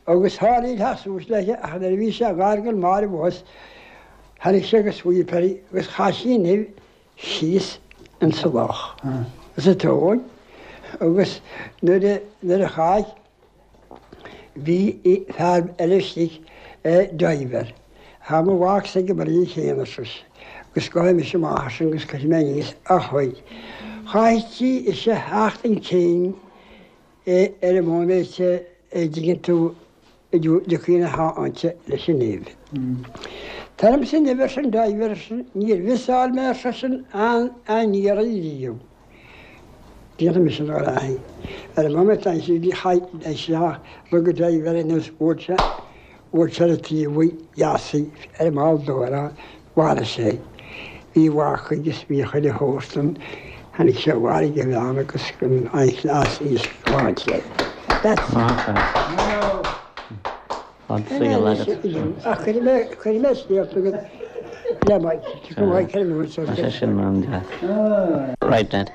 agus tharlaigh theacht suas léi ach nuair a bhí sé gar don marbh abhus tháinig sé agus scaoil uirthi agus chaith sí an ubh síos insa loch sa tóin agus nuair a nuair a chaith bhí fear eile istigh diver. Tá mo mhac ag an mbrí chéanna ar sise agus gabhfaidh mise amach as sin agus cuirfidh mé aníos a chuid. Chaith sí ise theacht an cinn ar an móiméad a dtuigeann tú a dtiocfaidh na háite leis an nimh. Tar ormsa nimh ar sin diver ar sin níor mhiseáil mé ar seisean an an iarraidh riamh. Déanfaidh mise an ráithe. Ar an móiméad ansin bhí chaith isteach rug an diver anuas bhuail sé bhuail sé ar an taobh dheas ar an mball dóire mharaigh sé. Bhí mhac agus bhí chuile shórt ann. Tháinig sé mharaigh a bhean agus an chleas iasc sláinte. That's Fad saoil agat. Ach cuirfidh mé cuirfidh mé scéalta agat le Mike. Tiocfaidh Mike ar an uair seo. Tá sé sin an-deas. Right Dad.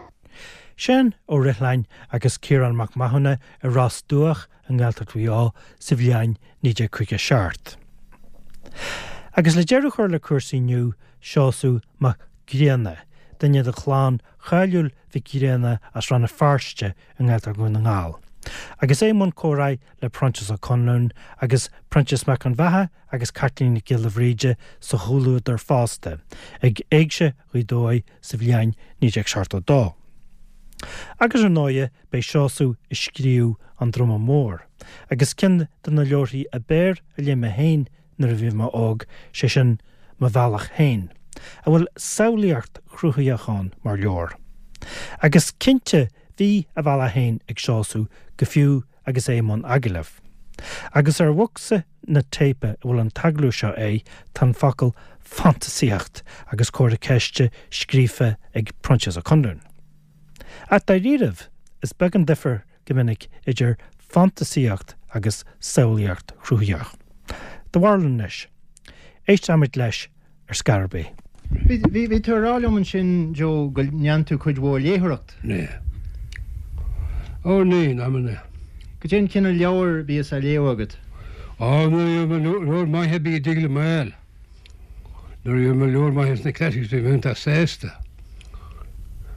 Seán Ó Rithlán agus Ciarán Mac Mathúna i Ros Dumhach i nGaeltacht Mhaigh Eo sa bhliain naoi déag caoga seacht. Agus le deireadh a chur le cúrsaí inniu, Seosamh Mac Grianna, duine de chlann cháiliúil Mhic Grianna as Rann na Feirste i nGaeltacht Dhún na nGall. Agus é i mbun comhrá le Proinsias Ó Conluain agus Proinsias Mac Con Bheatha agus Caitlín Nic Giolla Bhríde sa chomhluadar fosta, ag Éigse Ghaoth Dobhair sa bhliain naoi déag seachtó dó. Agus ar ndóighe beidh Seosamh ag scríobh An Druma Mór, agus ceann de na leabharthaí ab fhearr a léigh mé féin nuair a bhí mé óg, sé sin Mo Bhealach Féin, a bhfuil samhlaíocht chruthaitheach ann mar leabhar. Agus cinnte bhí a bhealach féin ag Seosamh go fiú agus é i mbun agallaimh. Agus ar bhocsa na téipe a bhfuil an t-agallamh seo é, tá an focal fantasaíocht agus comhartha ceiste scríofa ag Proinsias Ó Conluain. Ach dáiríribh, is beag an difear go minic idir fantasaíocht agus samhlaíocht chruthaitheach. Do bharúil anois. Éistfimid leis ar scor ar bith. Bhí bhí tú ag rá liom ansin Joe go ndéanann tú cuid mhór léitheoireacht. Ní. Ó ní amanna. Cad é an cineál leabhar a bhíos á léamh agat. Á leabhar maith a bhí ag dul mall. Nuair a bhí leabhar maith sna classics bhí mé sásta.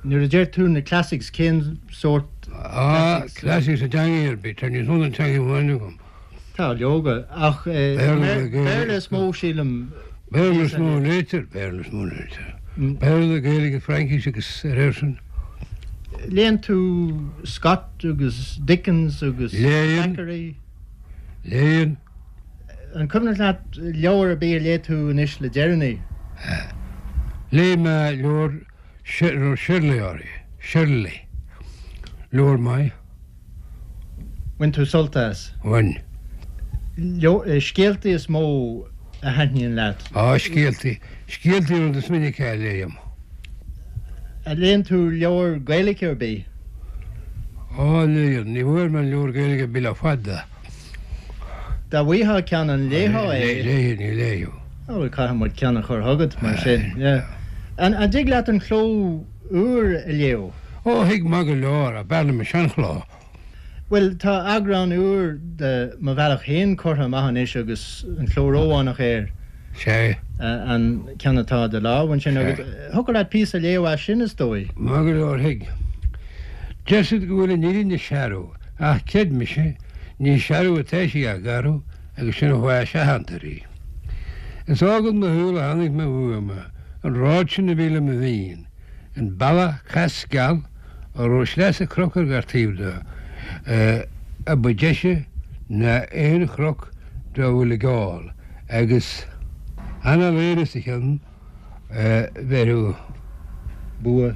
Nuair a deir tú na classics cén sórt Á classics a dteanga ar bith, tá níos mó ná teanga amháin agam. Tá leoga ach Béarla, Gaeilge. Béarla is mó sílim Béarla is mó léitear, Béarla is mó léitear. Béarla, Gaeilge, Fraincis agus ar sin. Léann tú Scott agus Dickens agus Léann. Thackeray. Léann An cuimhin leat leabhar ar bith a léigh tú anois le deireanaí. Léigh mé leabhar Shirley orthu, Shirley. Leabhar maith Bhain tú sult as. bhain. Scéaltaí is mó a thaitníonn leat. Á scéaltaí, scéaltaí rud is minice a léim. A léann tú leabhar Gaeilge ar bith. Á léann, ní bhfuair mé leabhar Gaeilge bí le fada. Dá bhfaighfeá ceann an léifeá é. Léi ní léo. Ó caithfidh muid ceann a chur chugat mar sin. An an dtig leat an cló úr a léamh? Ó thig maith go leor a b'fhearr liom an seanchló. Well tá eagrán úr de Mo Bhealach Féin curtha amach anois agus an cló rómhánach air Sé an ceann atá de lámh ansin agus thiocfadh leat píosa a léamh as sin is dóigh. Maith go leor thig. Deir siad go bhfuil an fhírinne searbh, ach creid mise, ní searbh atá sí ach garbh agus sin an fáth a seachantar í. Is ágad mo shúil a tháinig mé uaim, an rud sin a bhí le mo mhian, an bealach cas geal a raibh sleasa cnoc ar gach taobh de, a ba deise ná aon chnoc dá bhfuil ag gabháil, agus an-léir sa cheann bheith Bua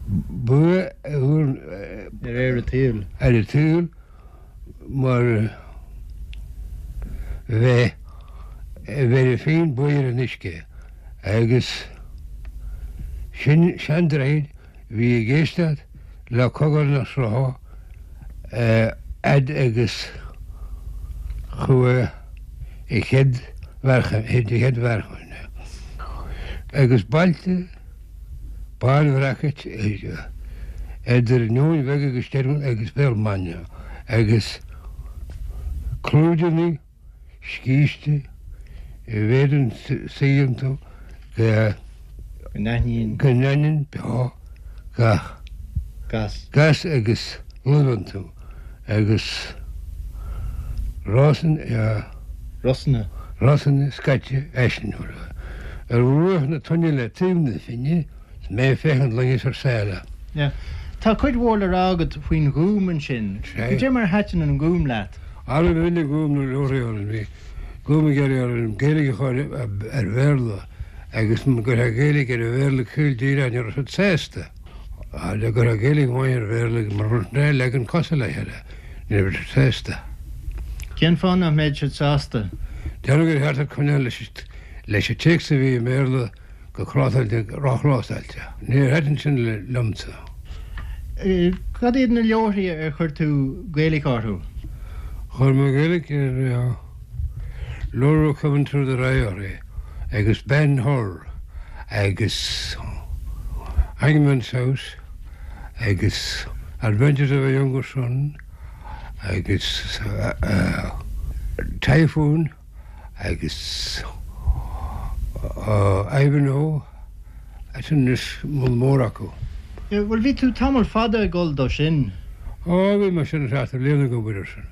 bua ar ar ar an tsaol. ar an tsaol mar bheith bheith féin buir an uisce agus sin seandroichead bhí ag éisteacht le cogar na srutha fhad agus chuaigh a chéad chéad mheáchan agus bailte bánbhreaca idir Neoin Bheag agus Steirún agus Béal Maine agus clúideanna scíste a bhféadann suí iontu go Go n-aithníonn go n-aithníonn beo gach gas. gas agus luibh iontu agus rosann Rosanna. rosanna scaite eisniúla. Ar bhruach na toinne le taobh na finne, is mé féachaint loingeas ar sáile. Yeah. Tá cuid mhór le rá agat faoin Ghúm ansin. Sé. Cad é mar thaitin an Gúm leat. Ara bhí Gúm na leoraí bhí Gúm ag ar an Gaeilge a chur ar Bhéarla agus gur Gaeilge ar Bhéarla caol díreach ní raibh siad sásta. Le gur Gaeilge amháin ar Bhéarla mar leagan cosúil le chéile, ní raibh siad sásta. Cén fáth nach mbeadh siad sásta? Déanamh gur cheart coinneáil leis leis an téacs a bhí i mBéarla go crátáilte róchrátáilte. Níor thaitin sin le liomsa. Eh, Cad iad na leabharthaí ar chuir tú Gaeilge orthu? Chuir mé Gaeilge ar Laura Coming Through the Rye agus Ben Hur agus Hangman's House agus Adventures of a Younger Son agus uh, uh, Typhoon agus uh, Ivanhoe sin is mó mór acu. Eh, Bhuel bhí tú tamall fada ag dul dó sin. Ó bhí mar sin seachtar bliana go bhfuil sin.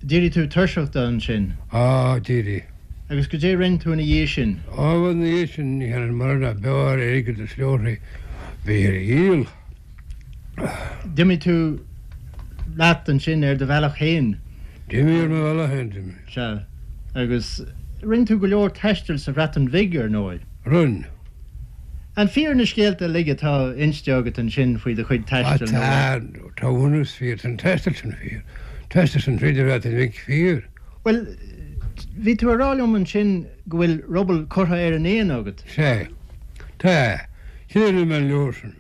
D'éirigh tú tuirseach de ansin. Á d'éirigh. Agus cad é rinne tú ina dhiaidh sin. Á na dhiaidh sin ní an mar a bear aige is leoraí bhí ar dhíol. D'imigh tú leat ansin ar do bhealach féin. D'imigh ar mo bhealach féin d'imigh. Sea. Agus rinne tú go leor taistil sa Bhreatain Bheag ar ndóigh. Rinne. An fíor na scéalta uilig atá inste agat ansin faoi do chuid taistil Tá tá bhunús fíor an taisteal sin fíor. Taisteal sin tríd an Bhreatain Bheag fíor. Well Bhí tú ag rá liom ansin go bhfuil ruball curtha ar an éan agat. Sea. Tá. Sin mé an leabhar sin.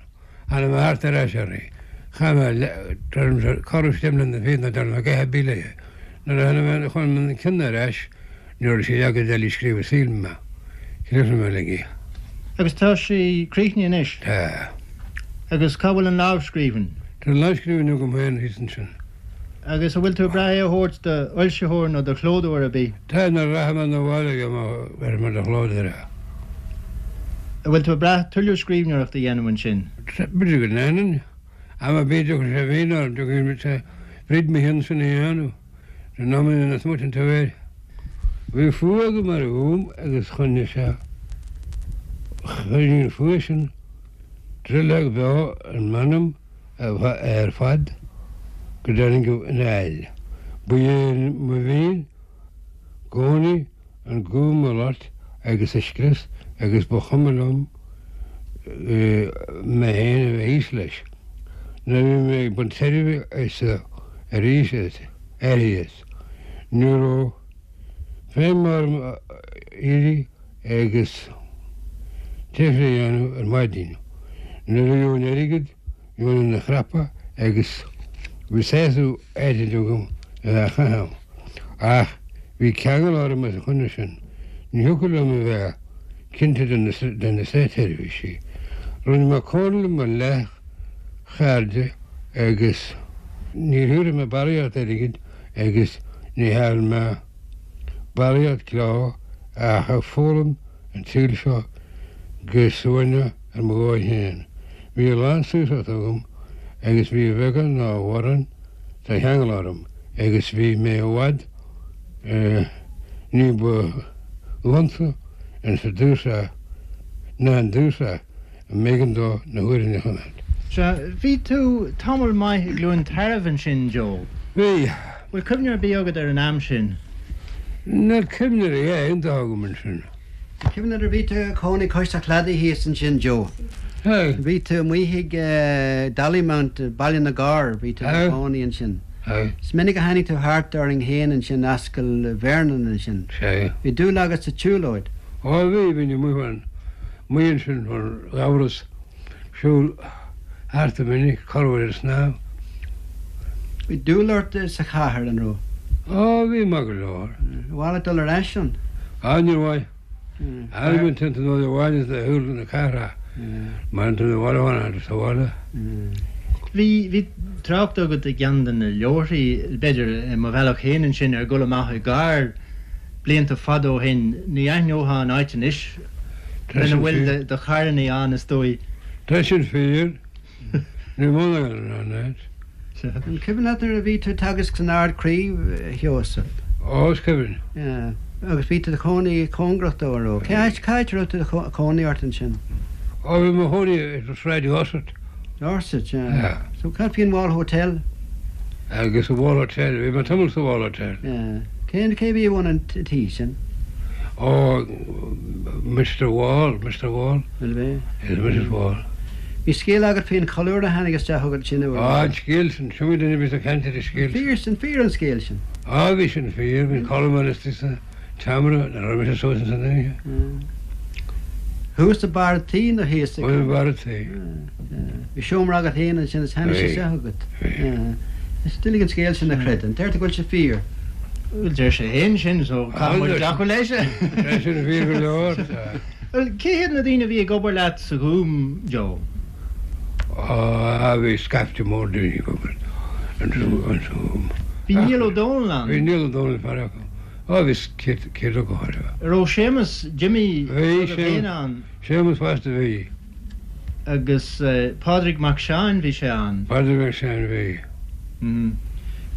Tháinig mé thart ar ais uirthi. Chaith mé corradh steam na féadna dar na gceatha bíle. Nuair a tháinig mé chun an cionn ar ais, ní raibh sé leagtha eile scríofa sílim mé. Chríochnaigh mé uilig í. Agus tá sí críochnaithe anois? Tá. Agus cá bhfuil an lámhscríbhinn? Tá an lámhscríbhinn agam féin thíos ansin. Agus an bhfuil tú ag brath é a thabhairt do fhoilsitheoir nó do chlódóir ar bith? Tá, nuair a rachaidh mé 'na bhaile bhéarfaidh mé do chlódóir é. An bhfuil tú ag brath tuilleadh scríbhneoireachta a dhéanamh ansin? B'fhéidir go ndéanfainn. Am ar bith a dtiocfaidh sé mhian orm, tiocfaidh sé fríd mo cheann sin a dhéanamh. San am ina smuitin tú air. Bhí fuath agam ar an Ghúm agus choinnigh sé, choinnigh an fuath sin drithleog bheo in m'anam ar fad go dtáinig an aill. Ba é mo mhian i gcónaí an Gúm a loit agus a scrios agus ba chuma liom mé féin a bheith thíos leis. Nuair a bhí mé ag baint tairbhe as arís uirthi as, ní raibh feidhm orm éirí agus taifre a dhéanamh ar maidin. Nuair a gheobhainn airgead, gheobhainn ina chrapa agus bhí sásamh áirid agam a bheith á chaitheamh. Ach bhí ceangal orm os a choinne sin. Ní thiocfadh liom a bheith cinnte de na státseirbhísigh. Rinne mé comhairle le mo leathchairde agus níor thabharfaidh mé barraíocht airgid agus ní thearn mé barraíocht leo ach ag foghlaim an tsaoil seo go suaimhneach ar mo dhóigh féin. Bhí a lán saoirseachta agam agus bhí a bheagán nó a mhórán de cheangal orm agus bhí mé i bhfad ní ba fhliucha insa dúshaoth ná an dúshaoth a mb'éigean dó na huaireanna a choimeád. Sea, bhí tú tamall maith i gCluain Tarbh ansin, Joe. Bhí. Bhfuil cuimhne ar bith agat ar an am sin? Níl cuimhne ar a dhath iontach agam ansin. Cuimhne nuair a bhí tú ag cónaí cois an chladaigh thíos ansin, Joe. Hey. Bhí tú amuigh ag Dollymount, Baile na gCorr, bhí tú ag cónaí ansin. Hey. Is minic a tháinig tú thart orainn féin ansin Ascaill Vernon ansin. Sea. Bhí dúil agat sa tsiúlóid. Ó bhí, bhí amuigh an amuigh ansin an ghamhras siúl thart go minic, corruair ar snámh. Bhí dúil ort sa chathair an raibh? Ó bhí maith go leor. Ar mhaith leat dul ar ais ann? Á níor mhaith. Tháinig mé timpeall an bhaile is le shiúl na cathrach. Mar an bhaile amháin sa bhaile. Bhí bhí trácht agat i gceann de na leabharthaí, b'fhéidir i mo bhealach féin ansin ar dhul amach i gcarr blianta fada ó shin, ní aithneofá an áit anois lena bhfuil de charranna ann is dóigh. Tá sin fíor. Ní mó an áit. An cuimhin leat nuair a bhí tú ag teagasc san Ard-Chraobh, a Sheosaimh? Ó, is cuimhin. Yeah. Agus bhí tú i do chónaí cóngarach dó an raibh? Cé áit cá háit a raibh tú i do chónaí ort ansin? Ó bhí mo chónaí ar Shráid Dorset. Dorset, yeah. Yeah. So cad faoin Wall Hotel? Agus sa Wall Hotel, bhí mé tamall sa Wall Hotel. Yeah. Cén cé bhí i bhun an tí sin? Ó Mr Wall, Mr Wall. Bhfuil bhí? Is Mrs Wall. Bhí scéal agat faoin cholúr a tháinig isteach chugat sin uair. Á an scéal sin, sin duine bhí sa caint ar an scéal. Fíor sin fíor an scéal sin. Á bhí sin fíor, bhí colúr istigh sa tseomra, na raibh mise suas san oíche. Thuas i mbarr an tí nó thíos i mbarr an tí. Bhí seomra agat féin ansin is tháinig sé isteach agat. Is doiligh an scéal sin a chreidiúint, deir tú go bhfuil sé fíor. Bhuel deir sé féin sin so caithfidh muid glacadh leis. Sé sin fíor go leor. Well cé hiad na daoine a bhí ag obair leat sa Ghúm, Joe? Á bhí scaifte mór daoine ag obair an sa Ghúm. Bhí Niall Ó Dónaill ann? Bhí Niall Ó Dónaill fear acu. Á bhí céad acu chóir. Raibh Séamus Jimmy Bhí féin ann? Séamus fosta bhí. Agus Pádraig Mac Seáin bhí sé ann? Pádraig Mac Seáin bhí.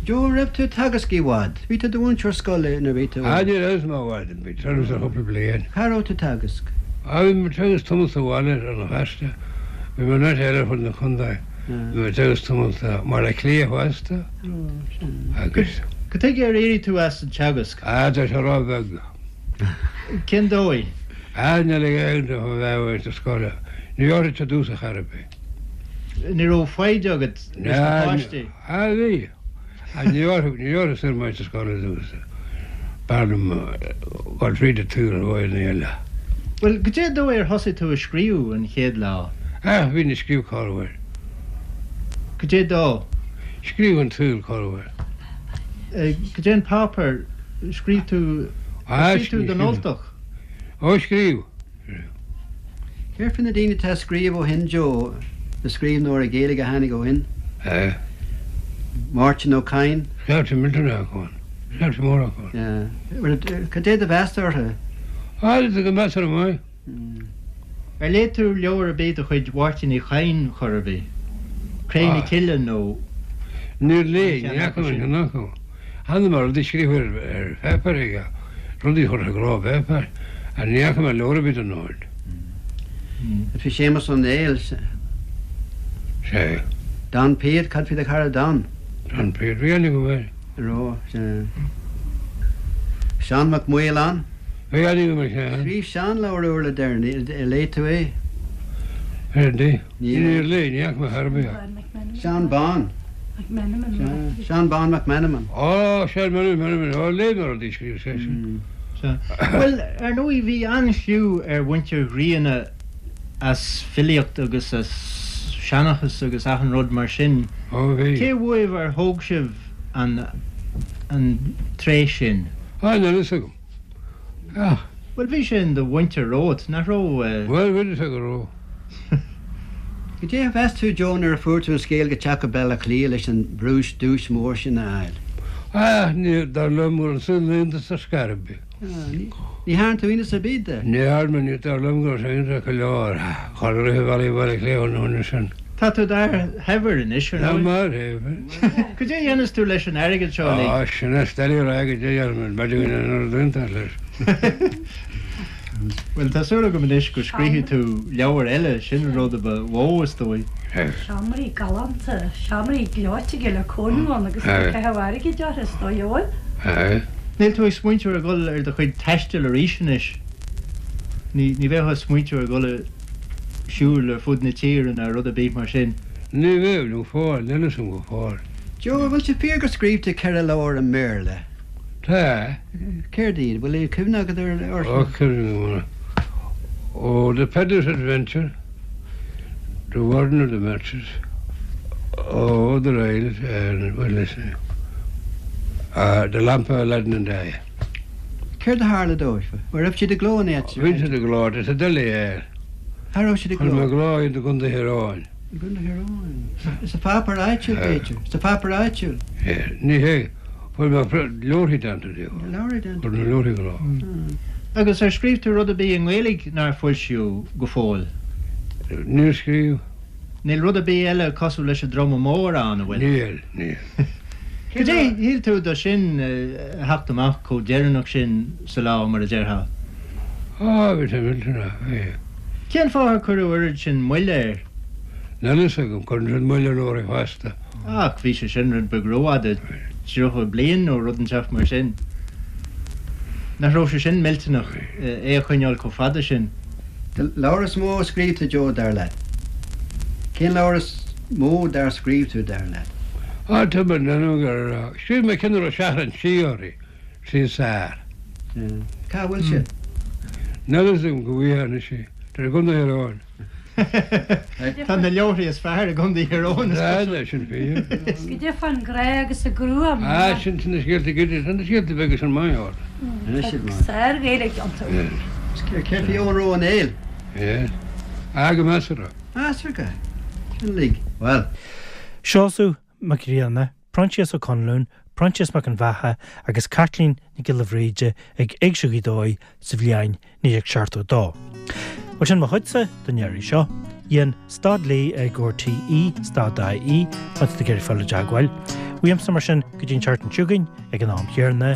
Joe, raibh tú ag teagasc i bhfad? Bhí tú i do mhúinteoir scoile nuair a bhí tú? Á ní raibh mé i bhfad, bhí turas ar chúpla bliain. Cá raibh tú ag teagasc? Á bhí mé ag teagasc tamall sa bhaile ar an Feirste. Bhí mé in áit eile ar fud na contae. Bhí mé ag teagasc tamall sa mBaile Átha Cliath fosta. Agus. Cad chuige ar éirigh tú as an teagasc? Á tá sé róbheag. Cén dóigh? Á níl ag aon duine a bheith sa scoil. Ní áirítear dtús a chor ar bith. Ní raibh foighid agat leis na páistí? Á bhí. Ní ní orthu sur mar sa scoil dúsa. B'fhearr liom dul fríd an tsaol ar dhóigheanna eile. Bhuel, goidé an dóigh ar thosaigh tú ag scríobh an chéad lá? Ah, bhínn ag scríobh corruair. Goidé dó? Scríobh an tsaoil corruair. Goidé an páipéar? Scríobh tú, Ah, scríobh tú don Ultach? Ó, scríobh. Céard faoi na daoine atá ag scríobh ó shin, Joe, na scríbhneoirí Gaeilge a tháinig ó shin? Eh. Máirtín Ó Cadhain? Scaifte millteanach acu ann. Scaifte mór acu ann. Yeah. Bhuel, cad é do mheas orthu? Ah, tá go measartha maith. Ar léigh tú leabhar ar bith de chuid Mháirtín Uí Chadhain chor ar bith? Cré na Ah. Cille nó Níor léigh, an ní ceann fhaca acu mé sin? ceann acu. Chonaic mé rudaí scríofa ar ar pháipéar aige, rudaí curtha i gcló i bpáipéar, ach ní fhaca mé leabhar ar bith den ord. Bhí Séamus Ó Néill, Sea, Don Piatt, cad faoi do chara Don? Don Piatt, bhí aithne agam air. Ró, sea. Seán Mac Maoláin? Bhí aithne agam ar Sheán. Scríobh Seán leabhar úr le deireanaí, ar léigh tú é? Ar ndóigh. Níor. Níor léigh, ní fhaca mé chor ar bith é. Seán Bán. Sea, Seán Bán Mac Meanman. Ó, Seán Meanman, ó, léigh mé rudaí a scríobh seisean. Sea. Bhuel, ar ndóigh, bhí an-chliú ar mhuintir Ghrianna as filíocht agus as seanchas agus achan rud mar sin. Ó, bhí. Cé uaibh ar thóg sibh an an tréith sin? Á, níl a fhios agam. Ach. Bhuel, bhí sé in do mhuintir romhat, nach raibh? Bhuel, bhí a fhios agam go raibh. Goidé a mheas tú, Joe, nuair a fuair tú an scéal go teacht go Baile Átha Cliath leis an bprúis duais mór sin a fháil? Ah, ní, dar liom go raibh an saol iontach ar scor ar bith. Ní dhearna tú iontas ar bith de? Ní dhearna, ní, dar liom go raibh sé iontach go leor. Chur rith Bhaile Bhaile Átha Cliath an uair sin. Tá tú d'fhear shaibhir anois, ar Tá ndóigh. mar shaibhir. Goidé a dhéanas tú leis an airgead seo uilig? Á, sin é steillí rá go dté ar an bheidir an rud iontach leis. Bhuel, tá súil agam anois go scríobfaidh tú leabhar eile, sin an rud a ba mhó is dóigh. Seomraí galánta, seomraí gleoite le cónú ann agus caitheamh airgid orthu, is dóigh amháin. Níl tú ag smaointiú ar dhul ar do chuid taistil arís anois? Ní ní bheadh ag smaointiú ar dhul ag siúl ar fud na tíre nó rud ar bith mar sin. Ní bheadh nó fáil, níl a fhios agam go fóill. Joe, an bhfuil sé fíor gur scríobh tú ceithre leabhar i mBéarla? Tá. Céard iad? Bhfuil cuimhne agat ar Ó, cuimhne agam. Ó, The Peddler's Adventure, The Warden of the Matches, Oh, The Rails, and well, let's see, uh, The Lamp of Aladdin and I. Céard a tharla dóibh? An raibh siad i gcló in áit? Bhí siad i gcló, is a doiligh é. Cá raibh siad i Chuir mé gcló? i gcló i gContae Thír Eoghain. I gContae Thír Eoghain. Sa pháipéar áitiúil, b'fhéidir. Sa pháipéar áitiúil. Ní hé, fuair mé leabharthaí déanta díobh. Leabharthaí déanta. Chuir na leabharthaí i gcló. Agus ar scríobh tú rud ar bith i nGaeilge nár foilsíodh go fóill? Níor scríobh. Níl rud ar bith eile cosúil leis an Druma Mór ann, an bhfuil? Níl, níl. Cad é shíl tú de sin a theacht amach chomh deireanach sin sa lá mar a déarfá? Á, bhí sé millteanach, bhí. Cén fáth ar cuireadh oiread sin moille air? Níl a fhios agam, cuireann siad moill ar leabharthaí feasta. Ach bhí sé sin rud beag rófhada, tríocha bliain nó rud inteacht mar sin. Nach raibh sé sin millteanach é a choinneáil chomh fada sin? Leabhar is mó a scríobh tú Joe dar leat? Cén leabhar is mó dár scríobh tú dar leat? Á, tá mé gur scríobh mé ceann a raibh Seachrán Sí uirthi, Sí Sár. Cá bhfuil sé? Níl a fhios agam go bhfuil anois í. Tá i gContae Thír Eoghain. Tá na leabharthaí is fearr i gContae Thír Eoghain. Tá, sin fíor. Goidé fán ghrá agus an ghruaim. Á, sin sin na scéalta gide, sin na scéalta beaga sin maith ort. Sár-Ghaeilge iontu. Céard faoi Eoghan Rua Ó Néill? Yes. Á, go measartha. Measartha. Sin lig. Well. Seosamh Mac Grianna, Proinsias Ó Conluain, Proinsias Mac an Bheatha agus Caitlín Nic Giolla Bhríde ag Éigse Ghaoth Dobhair sa bhliain naoi déag seachtó dó. Bhuel sin mo chuidse don iarraidh seo, dhein stad lí ag RTE stad IE má tá tú ag iarraidh fáil i dteagmháil. Uaimse mar sin go dtí an tseachtain seo chugainn ag an am chéanna,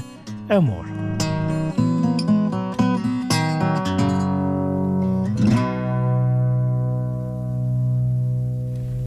ádh mór.